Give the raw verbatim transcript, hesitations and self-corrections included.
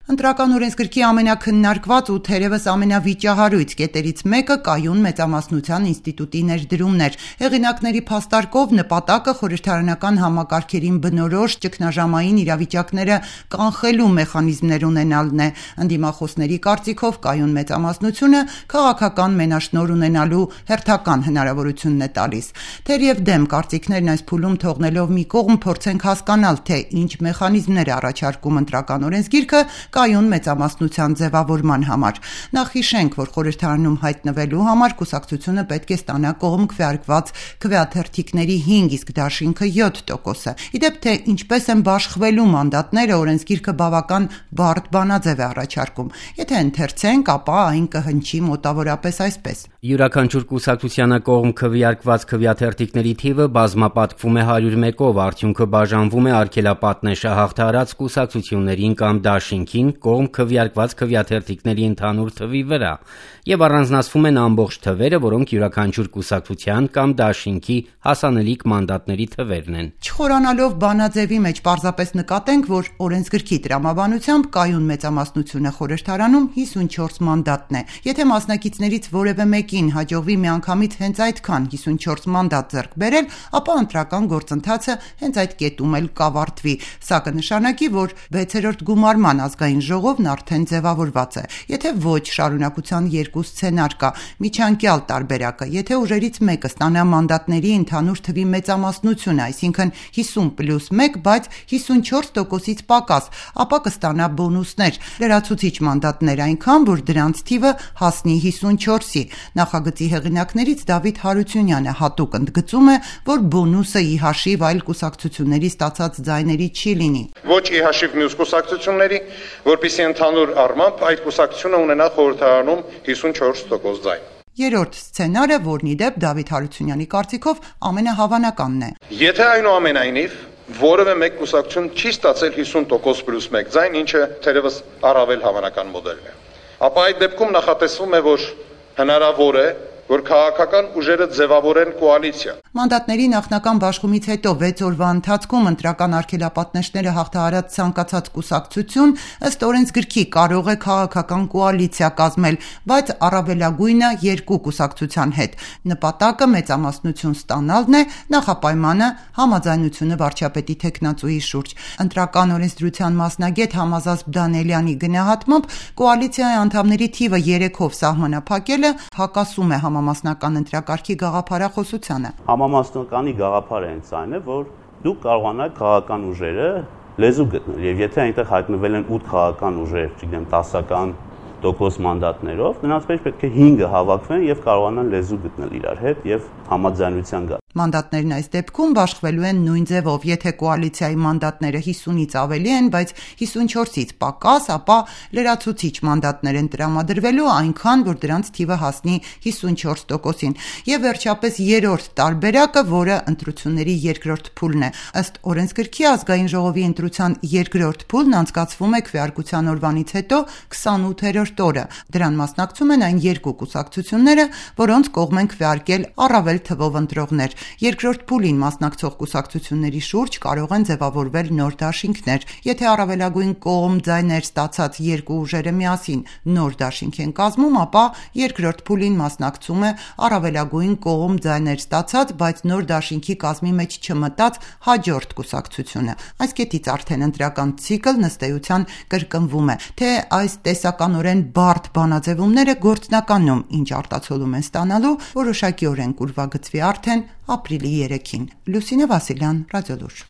Ընտրական օրենսգրքի ամենաքննարկված ու թերևս ամենավիճահարույց կետերից մեկը կայուն մեծամասնության ինստիտուտի ներդրումն էր։ Հեղինակների փաստարկով նպատակը խորհրդարանական համակարգերին բնորոշ ճգնաժամային իրավիճակները կանխելու մեխանիզմներ ունենալն է։ Ընդդիմախոսների կարծիքով կայուն մեծամասնությունը քաղաքական մենաշնորհ ունենալու հերթական հնարավորությունն է տալիս։ Թեև դեմ կարծիքներն այս փուլում թողնելով մի կողմ փորձենք հասկանալ, թե ինչ մեխանիզմներ է առաջարկում ընտրական օրենսգիրքը կայուն մեծամասնության ձևավորման համար։ Նախ հիշենք, որ խորհրդարանում հայտնվելու համար կուսակցությունը պետք է ստանա կողմ քվեարկված քվեաթերթիկների հինգ, իսկ դաշինքը յոթ տոկոսը։ Իդեպ թե ինչպես են բաշխվելու մանդատները, օրենսգիրքը բավական բարդ բանաձև է առաջարկում։ Եթե ընթերցենք, ապա այն կհնչի մոտավորապես այսպես. Յուրաքանչյուր կուսակցությանը կողմ քվեարկված քվեաթերթիկների թիվը բազմապատկվում է հարյուր մեկով, արդյունքը բաժանվում է արգելապատնեշը հաղթահարած կուսակցություններին կամ դաշինքին կողմ քվեարկված քվեաթերթիկների ընդհանուր թվի վրա եւ առանձնացվում են ամբողջ թվերը, որոնք յուրաքանչյուր կուսակցության կամ դաշինքի հասանելիք մանդատների թվերն են։ Չխորանալով բանաձևի մեջ պարզապես նկատենք, որ օրենսգրքի տրամաբանությամբ կայուն մեծամասնությունը խորհրդարանում հիսունչորս մանդատն է։ Եթե մասնակիցներից որևէ մեկին հաջողվի միանգամից հենց այդքան հիսունչորս մանդատ ձեռք բերել, ապա ընտրական գործընթացը հենց այդ կետում էլ կավարտվի։ Սա կնշանակի, որ վեցերորդ գումարման ազգային ժողովն արդեն ձևավորված է։ Եթե ոչ, շարունակության երկու սցենար կա։ Միջանկյալ տարբերակը, եթե ուժերից մեկը ստանա մանդատների ընդհանուր թվի մեծամասնությունը, այսինքն հիսուն պլյուս մեկ, բայց հիսունչորս տոկոսից պակաս, ապա կստանա բոնուսներ, լրացուցիչ մանդատներ այնքան, որ դրանց թիվը հասնի հիսունչորսի։ Նախագծի հեղինակներից Դավիթ Հարությունյանը հատուկ ընդգծում է, որ բոնուսը ի հաշիվ այլ կուսակցությունների ստացած ձայների չի լինի։ Ոչ ի հաշիվ մյուս կուսակցությունների, որպեսզի ընդհանուր առմամբ այդ կուսակցությունը ունենա խորհրդարանում հիսունչորս տոկոս ձայն։ Երրորդ սցենարը, որն ի դեպ Դավիթ Հարությունյանի կարծիքով ամենահավանականն է։ Եթե այնուամենայնիվ որևէ մեկ կուսակցություն չի ստացել հիսուն տոկոս պլյուս մեկ ձայն, ինչը թերևս առավել հավանական մոդելն է, ապա այդ դեպքում նախատեսվում է, որ հնարավոր է, որ քաղաքական ուժերը ձևավորեն կոալիցիա։ Մանդատների նախնական բաշխումից հետո վեց օրվա ընթացքում ընտրական արգելապատնեշները հաղթահարած ցանկացած կուսակցություն ըստ օրենսգրքի կարող է քաղաքական կոալիցիա կազմել, բայց առավելագույնը երկու կուսակցության հետ։ Նպատակը մեծամասնություն ստանալն է, նախապայմանը համաձայնությունը վարչապետի թեկնածուի շուրջ։ Ընտրական օրենսդրության մասնագետ Համազազբ Դանելյանի գնահատմամբ կոալիցիայի անդամների թիվը երեքով սահմանափակելը հակասում է համամասնական ընտրակարգի գաղափարախոսությանը։ Համամասնականի գաղափարը հենց այն է, որ դուք կարողանաք քաղաքական ուժերը լեզու գտնել, եւ եթե այնտեղ հայտնվել են ութ քաղաքական ուժեր, չգիտեմ, տասական տոկոս մանդատներով, նրանց մեջ պետք է հինգը հավաքվեն եւ կարողանան լեզու գտնել իրար հետ եւ համաձայնության գալ։ Մանդատներն այս դեպքում բաշխվելու են նույն ձևով, եթե կոալիցիայի մանդատները հիսունից ավելի են, բայց հիսունչորսից պակաս, ապա լրացուցիչ մանդատներ են տրամադրվելու այնքան, որ դրանց թիվը հասնի հիսունչորս տոկոսին։ Եվ վերջապես երրորդ տարբերակը, որը ընտրությունների երկրորդ փուլն է։ Ըստ օրենսգրքի ազգային ժողովի ընտրության երկրորդ փուլն անցկացվում է քվեարկության օրվանից հետո քսանութերորդ օրը։ Դրան մասնակցում են այն երկու կուսակցությունները, որոնց կողմ են քվեարկել առավել թվով ընտրողներ։ Երկրորդ փուլին մասնակցող կուսակցությունների շուրջ կարող են ձևավորվել նոր դաշինքներ։ Եթե առավելագույն կողմ ձայներ ստացած երկու ուժերը միասին նոր դաշինք են կազմում, ապա երկրորդ փուլին մասնակցում է առավելագույն կողմ ձայներ ստացած, բայց նոր դաշինքի կազմի մեջ չմտած հաջորդ կուսակցությունը։ Այս կետից արդեն ընտրական ցիկլն ըստ էության կրկնվում է, թե այս տեսականորեն բարդ բանաձևումները գործնականում ինչ արտացոլում են ստանալու, որոշակիորեն կուրվագծվի արդեն ապրիլի երեքին։ Լուսինե Վասիլյան, Ռադիոլուր։